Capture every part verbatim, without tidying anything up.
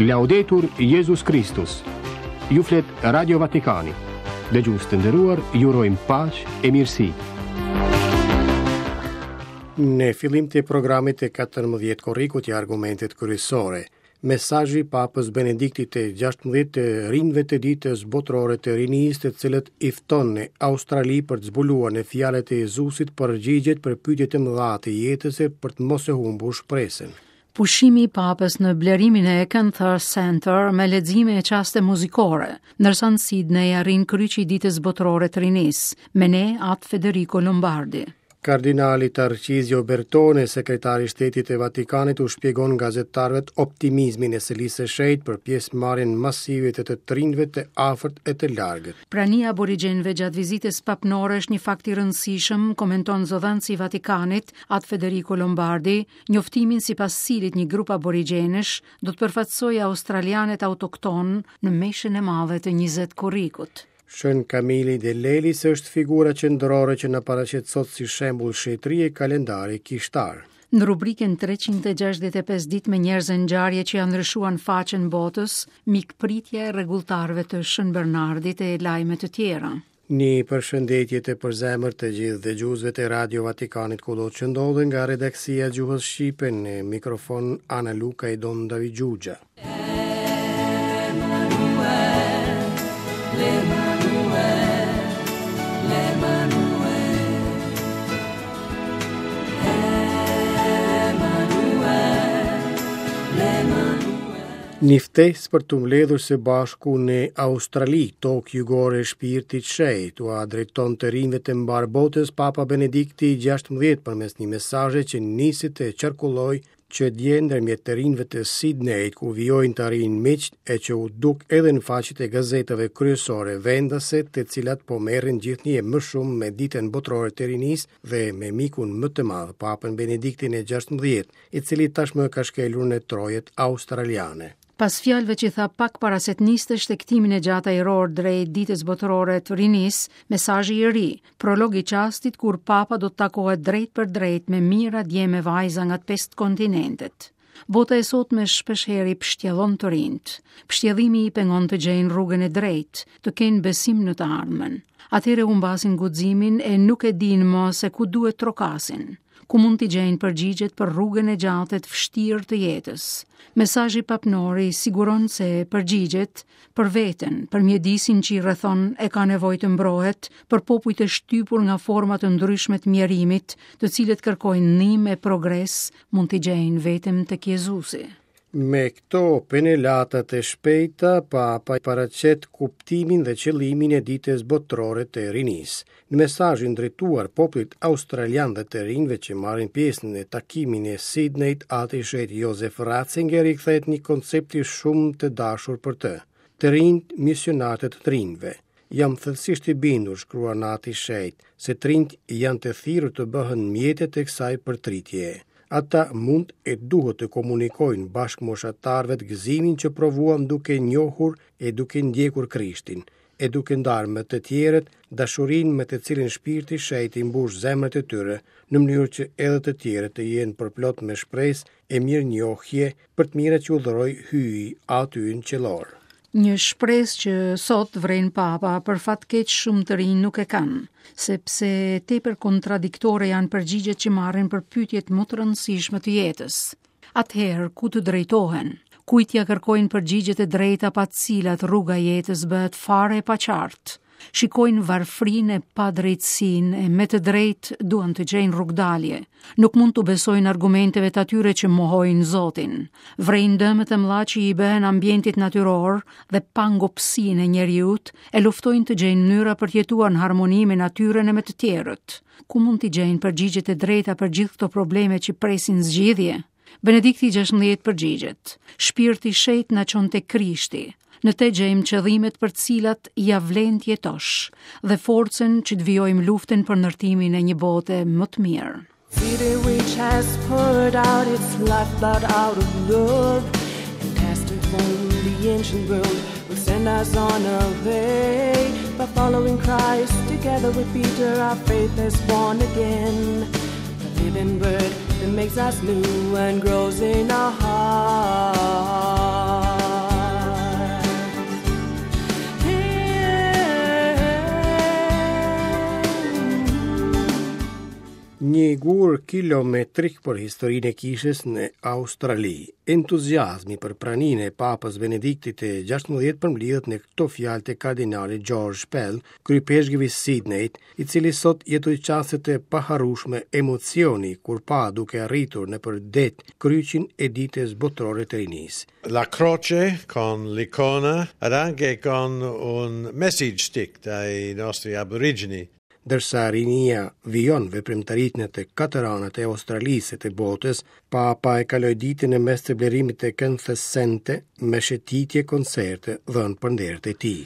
Laudetur Jezus Kristus. Ju flet Radio Vatikani. Dëgjues të nderuar, ju urojmë paqe e mirësi. Në fillim të programit të katërmbëdhjetë korrikut ja argumentet kryesore. Mesazhi i Papës Benediktit të gjashtëmbëdhjetë të rinjve të ditës botërore të rinisë, të cilët i fton në Australi për të zbuluar në fjalët e Jezusit përgjigjet për pyetjet e mëdha të jetës e për të mos e humbur shpresën. Pushimi i Papës në blerimin e Acanthus Center me lexime e çaste muzikore, ndërsa në Sydney arrin kryqi i ditës botërore të rinisë, me ne Atë Federico Lombardi. Kardinali Tarcizio Bertone, sekretari i Shtetit të Vatikanit, u shpjegon gazetarëve optimizmin e Selisë së Shenjtë për pjesëmarrjen masive të të rinjve të afërt e të largët. Prania e aborigjenëve gjatë vizitës papnore është një fakt i rëndësishëm, komenton zëdhënësi i Vatikanit, Atë Federico Lombardi, njoftimin sipas cilit një grup aborigjenësh do të përfaqësojë australianët autokton në meshën e madhe të njëzet korrikut. Shën Kamili de Lelis është figura qendrore që na paraqet sot si shembull shetërie kalendari kishtar. Në rubrikën treqind e gjashtëdhjetë e pesë ditë me njerëz e ngjarje që janë ndryshuar në faqen botës, mikpritja e rregulltarëve të Shën Bernardit e lajme të tjera. Një përshëndetje të përzemër të gjithë dëgjuesve të Radio Vatikanit kudo që ndodhen nga redaksia e gjuhës shqipe në mikrofon Ana Luka e Don David Gjugja. Një ftesë për të mbledhur së bashku në Australi, tokë jugore e shpirtit shenjt, ua drejton të rinjve të mbar botës Papa Benedikti i gjashtëmbëdhjetë përmes një mesazhi që nisi të qarkullojë që dje ndërmjet të rinjve të Sydneyt, ku vijojnë të arrijnë miqt e që u duk edhe në faqet e gazetave kryesore vendase, të cilat po merren gjithnjë e më shumë me ditën botërore të rinisë dhe me mikun më të madh, Papën Benediktin e gjashtëmbëdhjetë, i cili tashmë ka shkelur në trojet australiane. Pas fjalëve që tha pak para se të niste shtegtimin e gjatë ajror drejt ditës botërore të rinisë, mesazhi i ri, prolog i çastit kur Papa do të takohet drejt për drejt me mijëra djem e vajza nga të pesë kontinentet. Bota e sotme shpeshherë i pështjellon të rinjt. Pështjellimi i pengon të gjejnë rrugën e drejtë, të kenë besim në të ardhmen. Atëherë humbasin guximin e nuk e dinë më se ku duhet trokasin, ku mund t'i gjejnë përgjigjet për rrugën e gjatë e të vështirë të jetës. Mesazhi papnor i siguron se përgjigjet për veten, për mjedisin që i rrethon e ka nevojë të mbrohet, për popujt e shtypur nga forma të ndryshme të mjerimit, të cilët kërkojnë ndihmë e progres, mund t'i gjejnë vetëm tek Jezusi. Me këto penelata të shpejta, Papa paraqet kuptimin dhe qëllimin e ditës botërore të rinisë. Në mesazhin drejtuar popullit australian dhe të rinjve që marrin pjesë në takimin e Sydneyt, Ati i Shenjtë Josef Ratzinger i kthehet një koncepti shumë të dashur për të: të rinjt misionarët të të rinjve. Jam thellësisht i bindur, shkruan Ati i Shenjtë, se të rinjt janë të thirrur të bëhen mjetet e kësaj përtritjeje. Ata mund e duhet të komunikojnë bashkëmoshatarëve të gëzimin që provuan duke njohur e duke ndjekur Krishtin, e duke ndarë me të tjerët dashurinë me të cilën Shpirti i Shenjtë i mbush zemrat e tyre, në mënyrë që edhe të tjerët të jenë përplot me shpresë e mirënjohje për të mirat që u dhuroi Hyji Aty ynë qiellor. Një shpresë që sot vren Papa, për fat keq shumë të rinj nuk e kanë, sepse tepër kontradiktore janë përgjigjet që marrin për pyetjet më të rëndësishme të jetës. Atëherë, ku të drejtohen? Kujt ja kërkojnë përgjigjet e drejta pa të cilat rruga e jetës bëhet fare e paqartë? Shikojnë varfrinë e padrejtësinë e me të drejtë duan të gjejnë rrugdalje. Nuk mund t'u besojnë argumenteve të atyre që mohojnë Zotin. Vrejnë dëmet e mëdha që i bëhen ambientit natyror dhe pangopsinë e njeriut e luftojnë të gjejnë mënyra për të jetuar në harmoni me natyrën e me të tjerët. Ku mund t'i gjejnë përgjigjet e drejta për gjithë këto probleme që presin zgjidhje? Benedikti gjashtëmbëdhjetë përgjigjet: Shpirti i Shenjtë na çon te Krishti. Në te gjejmë qëllimet për të cilat ja vlen të jetosh dhe forcën që të vijojmë luftën për ndërtimin e një bote më të mirë. City which has poured out its lifeblood out of love and has transformed the ancient world will send us on our way. By following Christ together with Peter, our faith is born again. The living word that makes us new and grows in our hearts. kilometrik për historinë e kishës në Australi. Entuziazmi për praninë e Papës Benediktit të gjashtëmbëdhjetë përmblidhet në këto fjalë të kardinalit George Pell, kryepeshkëvi Sydneyt, i cili sot jetoi çaste të paharrueshme emocioni kur pa duke arritur nëpër det kryqin e ditës botërore të rinisë. La croce con l'icona ed anche con un message stick dai nostri aborigeni. Ndërsa rinia vijon veprimtaritë në të katër anët e Australisë e të botës, Papa e kaloi ditën në mes të blerimit të këngës sente me shëtitje koncerte dhënë për nder të tij.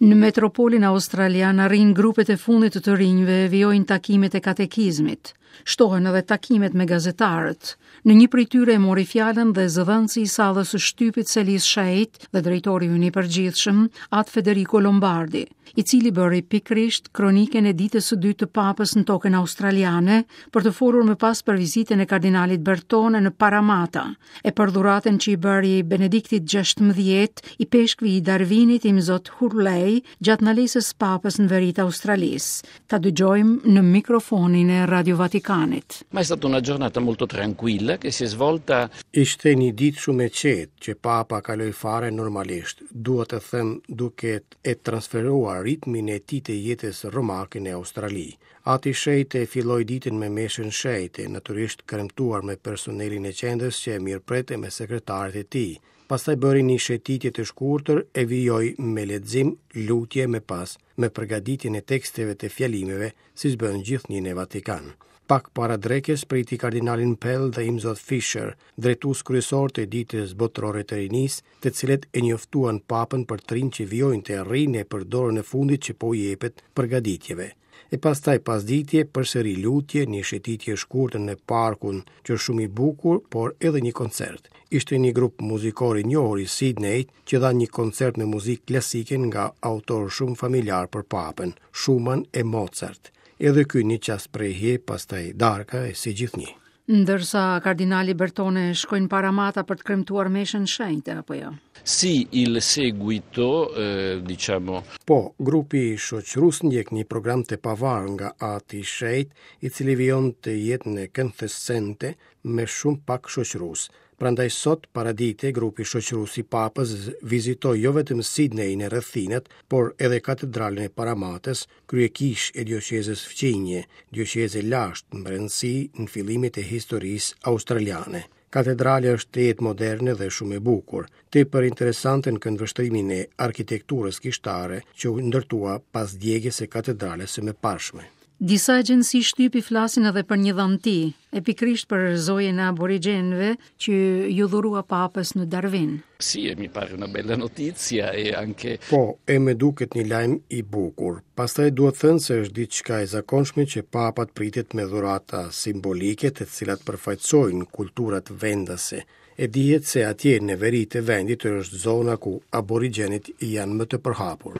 Në metropolin australian arrin grupet e fundit të të rinjve, vijojnë takimet e katekizmit. Shtohen edhe takimet me gazetarët. Në një prej tyre e mori fjalën dhe zëdhënësi i sallës së shtypit Selis Sheit dhe drejtori ynë i përgjithshëm, At Federico Lombardi, i cili bëri pikërisht kronikën e ditës së dytë të Papës në tokën australiane për të folur më pas për vizitën e kardinalit Bertone në Parramatta, e për dhuratën që i bëri Benediktit gjashtëmbëdhjetë i peshkvi i Darwinit Imzot Hurley gjatë ndalesës Papës në veri të Australisë. Ta dëgjojmë në mikrofonin e Radio Vatikanit. Ma è stata una giornata molto tranquilla che si è svolta. Ishte një ditë shumë e qetë që Papa kaloi fare normalisht, dua të them duke e transferuar ritmin e tij të jetës romake në Australi. Ati Shejte filloi ditën me meshën shejte, natyrisht kremtuar me personelin e qendrës që e mirëprete me sekretarët e tij. Pastaj bëri një shëtitje të shkurtër e vijoi me lexim, lutje me pas, me përgatitjen e teksteve të fjalimeve, siç bën gjithnjë në Vatikan. Pak para drekës priti kardinalin Pell dhe Imzot Fisher, drejtues kryesor të ditës botërore të rinisë, të cilët e njoftuan Papën për të rinj që vijojnë të rrinë e për dorën e fundit që po i jepet përgatitjeve. E pastaj pasditje përsëri lutje, një shëtitje e shkurtër në parkun që është shumë i bukur, por edhe një koncert. Ishte një grup muzikor i njohur i Sydney që dha një koncert me muzikë klasike nga autorë shumë familjar për Papën, Schumann e Mozart. Edhe ky një çast prehje, pastaj darka e si gjithnjë. Ndërsa kardinali Bertone shkojnë Parramatta për të kremtuar meshën shenjte, apo jo? Sì, il seguito, eh, diciamo. Po, grupi shoqërues ndjek një program të pavarur nga Ati Shejt, i cili vijon të jetë në këngësente me shumë pak shoqërues. Prandaj sot paradite grupi shoqërues i Papës vizitoi jo vetëm Sydney në rrethinat, por edhe katedralën e Parramatës, kryekish e dioqezës fqinje, dioqezë e lashtë në brendësi në fillimet e historisë australiane. Katedralja është tejet moderne dhe shumë e bukur, tepër interesante në këndvështrimin e arkitekturës kishtare që u ndërtua pas djegjes së katedrales së mëparshme. Disa agjenci shtypi flasin edhe për një dhanti, e pikërisht për zojën e aborigjenëve që ju dhurua Papës në Darwin. Sì, e mi pare una bella notizia e anche Po, e me duket një lajm i bukur. Pastaj duhet thënë se është diçka e zakonshme që papat pritet me dhurata simbolike të cilat përfaqësojnë kulturat vendase. E dihet se atje në veri të vendit është zona ku aborigjenët janë më të përhapur.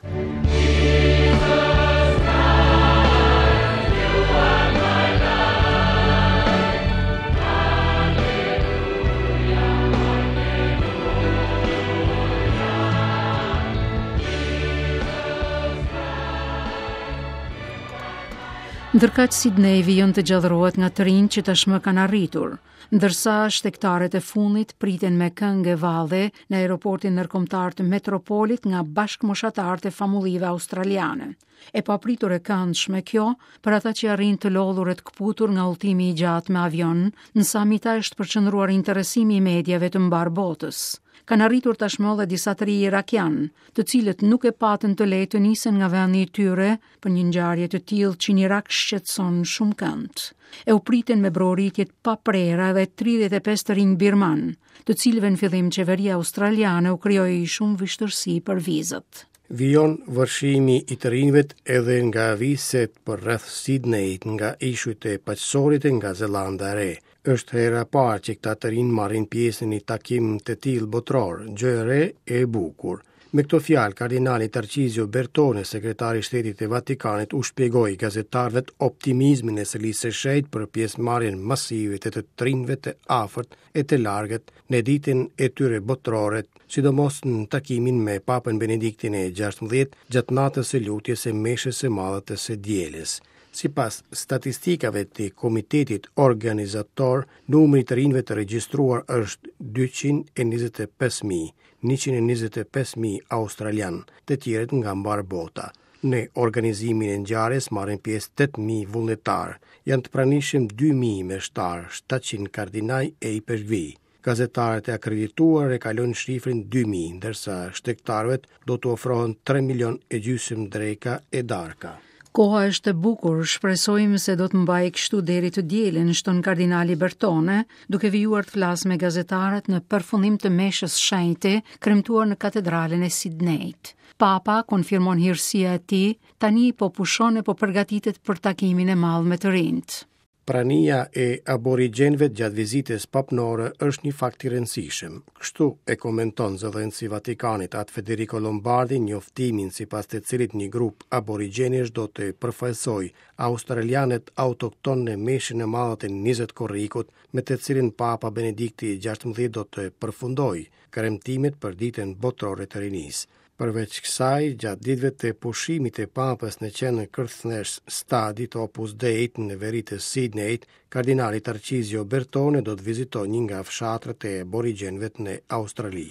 Ndërkaq Sydney vijon të gjallërohet nga të rinj që tashmë kanë arritur, ndërsa shtegtarët e fundit priten me këngë e valle në aeroportin ndërkombëtar të Metropolit nga bashkëmoshatarët e famullive australiane. E papritur e këndshme kjo për ata që arrin të lodhur e të kputur nga udhëtimi i gjatë me avion, në Samita është përqendruar interesimi i mediave të mbar botës. Kanë arritur tashmë edhe disa të rinj irakian, të cilët nuk e patën të lehtë të nisen nga vendi i tyre për një ngjarje të tillë që në Irak shqetëson shumë kënd. E u priten me broritje të paprera edhe tridhjetë e pesë të rinj birman, të cilëve në fillim qeveria australiane u krijoi shumë vështirësi për vizat. Vijon vërshimi i të rinjve edhe nga viset për rreth Sydneyt, nga ishujt e Paqësorit e nga Zelanda e Re. Është hera e parë që këta të rinj marrin pjesë në një takim të tillë botëror, gjë e re e bukur. Me këto fjalë, kardinali Tarcizio Bertone, sekretari i Shtetit të Vatikanit, u shpjegoi gazetarëve optimizmin e Selisë së Shenjtë për pjesëmarrjen masive të të rinjve të afërt e të largët në ditën e tyre botërore, sidomos në takimin me Papën Benediktin e gjashtëmbëdhjetë gjatë natës së lutjes së meshës së madhe të së dielës. Sipas statistikave të komitetit organizator, numri i të rinjve të regjistruar është dyqind e njëzet e pesë mijë, njëqind e njëzet e pesë mijë australian, të tjerët nga mbarë bota. Në organizimin e ngjarjes marrin pjesë tetë mijë vullnetar, janë të pranishëm dy mijë meshtar, shtatëqind kardinaj e ipeshkvi. Gazetarët e akredituar e kalojnë shifrën dy mijë, ndërsa shtegtarëve do t'u ofrohen tre milion e gjysmë dreka e darka. Koha është e bukur, shpresojmë se do të mbajë kështu deri të dielën, shton kardinali Bertone, duke vijuar të flasë me gazetarët në përfundim të meshës shenjte, kremtuar në katedralen e Sidneyt. Papa konfirmon hirësia e tij, tani po pushon e po përgatitet për takimin e madh me të rinjt. Prania e aborigjenëve gjatë vizitës papnore është një fakt i rëndësishëm. Kështu e komenton zëdhënësi i Vatikanit At Federico Lombardi njoftimin sipas të cilit një grup aborigjenësh do të përfaqësojë australianët autokton në meshën e madhe të njëzet korrikut, me të cilin Papa Benedikti i gjashtëmbëdhjetë do të përfundojë kremtimet për ditën botërore të rinisë. Përveç kësaj, gjatë ditëve të pushimit të Papës në qendrën kërthnesh stadit të Opus Dei në veri të Sydneyt, kardinali Tarcizio Bertone do të vizitojë një nga fshatrat e aborigjenëve në Australi.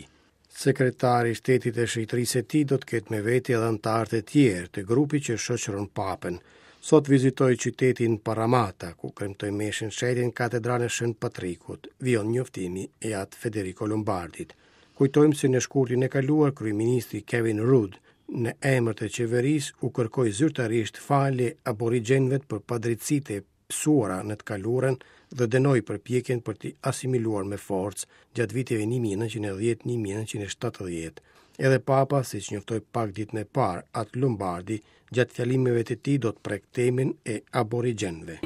Sekretari i Shtetit të Shqipërisë së tij do të ketë me vete edhe anëtarë të tjerë të grupit që shoqëron Papën. Sot vizitoi qytetin Parramatta, ku kremtoi meshën shenjtë në katedralen e Shën Patrikut, vijon njoftimi i At Federico Lombardit. Kujtojmë se në shkurtin e kaluar, kryeministri Kevin Rudd në emër të qeverisë u kërkoi zyrtarisht falje aborigjenëve për padrejtësitë e pësuara në të kaluarën dhe dënoi përpjekjen për t'i asimiluar me forcë gjatë viteve një mijë e nëntëqind e dhjetë një mijë e nëntëqind e shtatëdhjetë. Edhe Papa, siç njoftoi pak ditë më parë, At Lombardi, gjatë fjalimeve të tij do të prek temën e aborigjenëve.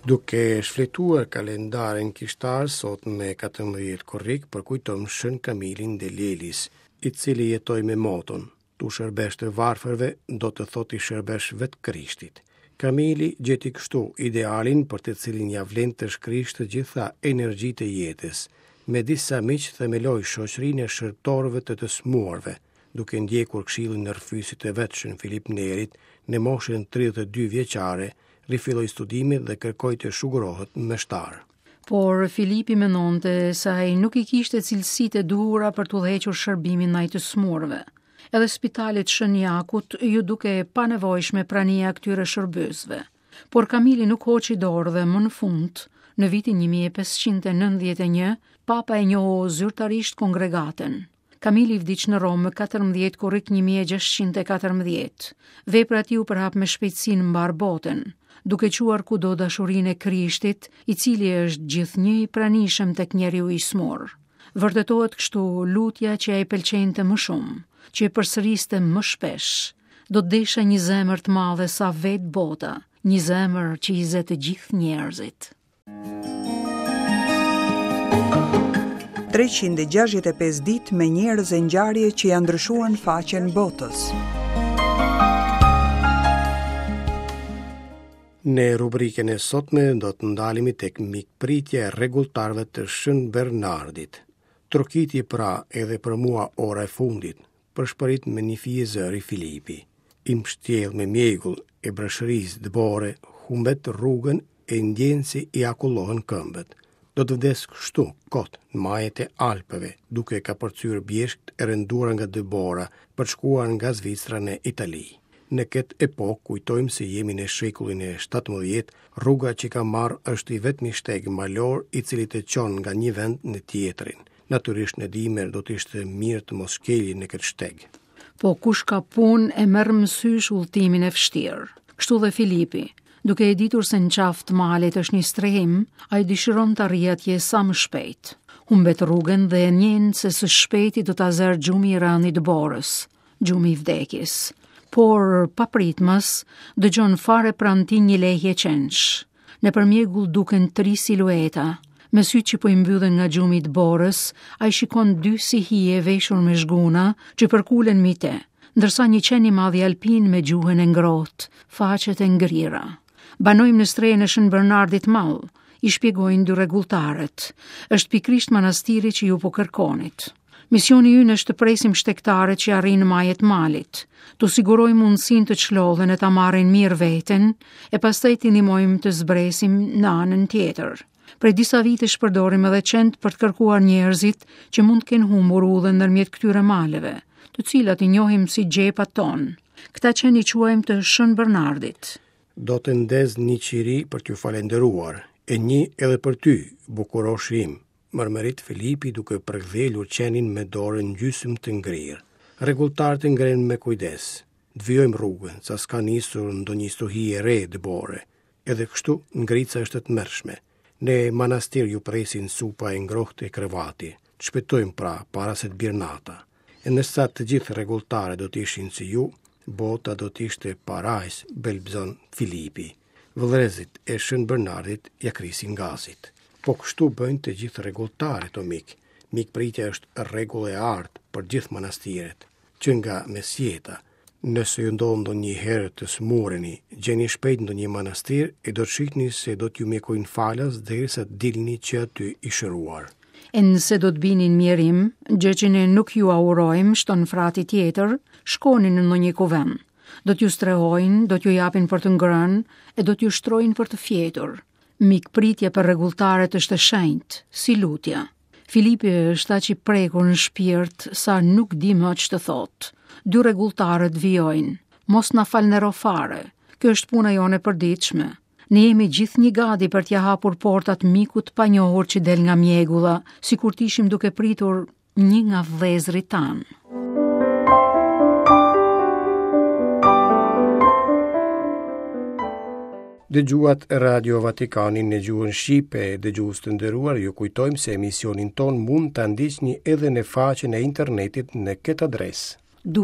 Duke shfletuar kalendarin kishtar sot me katërmbëdhjetë korrik, përkujtojmë Shën Kamilin de Lelis, i cili jetoi me moton: Tu shërbesh të varfërve, do të thotë i shërbesh vetë Krishtit. Kamili gjeti kështu idealin për të cilin ja vlen të shkrish të gjitha energjitë e jetës. Me disa miq themeloi shoqërinë e shërbëtorëve të të smuarve, duke ndjekur këshillin e rrëfyesit të vet Shën Filip Nerit në moshën tridhjetë e dy vjeçare, rifilloi studimet dhe kërkoi të shugurohet meshtar. Por Filipi mendonte se ai nuk i kishte cilësitë e duhura për të udhëhequr shërbimin ndaj të smurëve. Edhe spitalit Shën Jakut ju duke e panevojshme prania e këtyre shërbyesve. Por Kamili nuk hoqi dorë dhe më në fund, në vitin një mijë e pesëqind e nëntëdhjetë e një, Papa e njohu zyrtarisht kongregatën. Kamili vdiq në Romë më katërmbëdhjetë korrik një mijë e gjashtëqind e katërmbëdhjetë. Vepra e tij u përhap me shpejtësi në mbar botën, duke çuar kudo dashurinë e Krishtit, i cili është gjithnjë i pranishëm tek njeriu i smur. Vërtetohet kështu lutja që ai pëlqente më shumë, që e përsëriste më shpesh. Do të desha një zemër të madhe sa vetë bota, një zemër që i zë të gjithë njerëzit. treqind e gjashtëdhjetë e pesë ditë me njerëz e ngjarje që janë ndryshuar në faqen botës. Në rubrikën e sotme do të ndalemi tek mikpritja e rregulltarëve të Shën Bernardit. Trokiti pra edhe për mua ora e fundit, përshpërit me një fije zëri Filipi. I mbështjellë me mjegull e breshërisë dëbore, humbet rrugën e ndjen se i akullohen këmbët. Do të vdes kështu, kot, në majet e Alpeve, duke kapërcyer bjeshkët e rënduara nga dëbora, për të shkuar nga Zvicra në Itali. Në këtë epokë kujtojmë se jemi në shekullin e shtatëmbëdhjetë, rruga që ka marrë është i vetmi shteg malor i cili të çon nga një vend në tjetrin. Natyrisht në dimër do të ishte mirë të mos shkelje në këtë shteg. Po kush ka punë e merr mësysh udhëtimin e vështirë. Kështu dhe Filipi, duke e ditur se në qafë të malit është një strehim, ai dëshiron të arrijë atje sa më shpejt. Humbet rrugën dhe e ndjen se së shpejti do ta zërë gjumi i rëndë i dëborës, gjumi i vdekjes. Por papritmas dëgjon fare pranë tij një lehje qensh. Nëpër mjegull duken tri silueta. Me sytë që po i mbyllen nga gjumi i dëborës, ai shikon dy si hije veshur me zhguna që përkulen mbi te, ndërsa një qen i madh i alpin me gjuhën e ngrohtë, faqet e ngrira. Banojmë në strehën e Shën Bernardit Mall, i shpjegojnë dy rregulltarët. Është pikërisht manastiri që ju po kërkonit. Misioni ynë është të presim shtegtarët që arrijnë në majet malit, t'u sigurojmë mundësinë të çlodhen e ta marrin mirë veten, e pastaj t'i ndihmojmë të zbresim në anën tjetër. Prej disa vitesh përdorim edhe qentë për të kërkuar njerëzit që mund të kenë humbur udhën ndërmjet këtyre maleve, të cilat i njohim si xhepat tonë. Këta qenë i quajmë të Shën Bernardit. Do të ndez një qiri për t'ju falenderuar, e një edhe për ty, bukuroshi im, mërmërit Filipi duke përkdhelur qenin me dorën gjysmë të ngrirë. Rregulltarët e ngrenë me kujdes. Të vijojmë rrugën, sa s'ka nisur ndonjë stuhi e re dëbore. Edhe kështu ngrica është e tmerrshme. Në manastir ju presin supa e ngrohtë e krevati. Të shpejtojmë pra, para se të bjerë nata. E ndërsa të gjithë rregulltarët do të ishin si ju, bota do të ishte parajs, belbzon Filipi. Vëllezërit e Shën Bernardit ja krisin gazit. Po kështu bëjnë të gjithë rregulltarët, o mik. Mikpritja është rregull e artë për gjithë manastiret, që nga mesjeta. Nëse ju ndodh ndonjëherë të smureni, gjeni shpejt ndonjë manastir e do të shihni se do t'ju mjekojnë falas derisa të dilni që aty i shëruar. E nëse do të bini në mjerim, gjë që ne nuk ju aurojmë, shton frati tjetër, shkoni në ndonjë kuvend. Do t'ju strehojnë, do t'ju japin për të ngrënë e do t'ju shtrojnë për të fjetur. Mikpritja për rregulltarët është e shenjtë, si lutja. Filipi është aq i prekur në shpirt sa nuk di më ç'të thotë. Dy rregulltarët vijojnë: Mos na falëndero fare. Kjo është puna jonë e përditshme. Ne jemi gjithnjë gati për t'ia hapur portat mikut të panjohur që del nga mjegulla, sikur të ishim duke pritur një nga vëllezërit tanë. Dëgjuat Radio Vatikanin në gjuhën shqipe. Dëgjues të nderuar, ju kujtojmë se emisionin ton mund ta ndiqni edhe në faqen e internetit në këtë adresë: w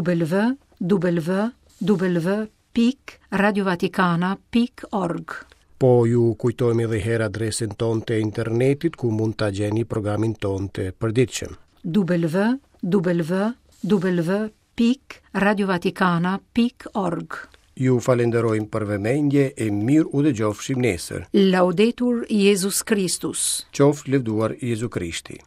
w w pikë radiovatikana pikë org. Po ju kujtojmë edhe herë adresën tonë të internetit ku mund ta gjeni programin tonë të përditshëm: w w w pikë radiovatikana pikë org. Ju falenderojmë për vëmendje e mirë u dëgjofshim nesër. Laudetur Jezus Kristus. Qoftë lëvduar Jezu Krishti.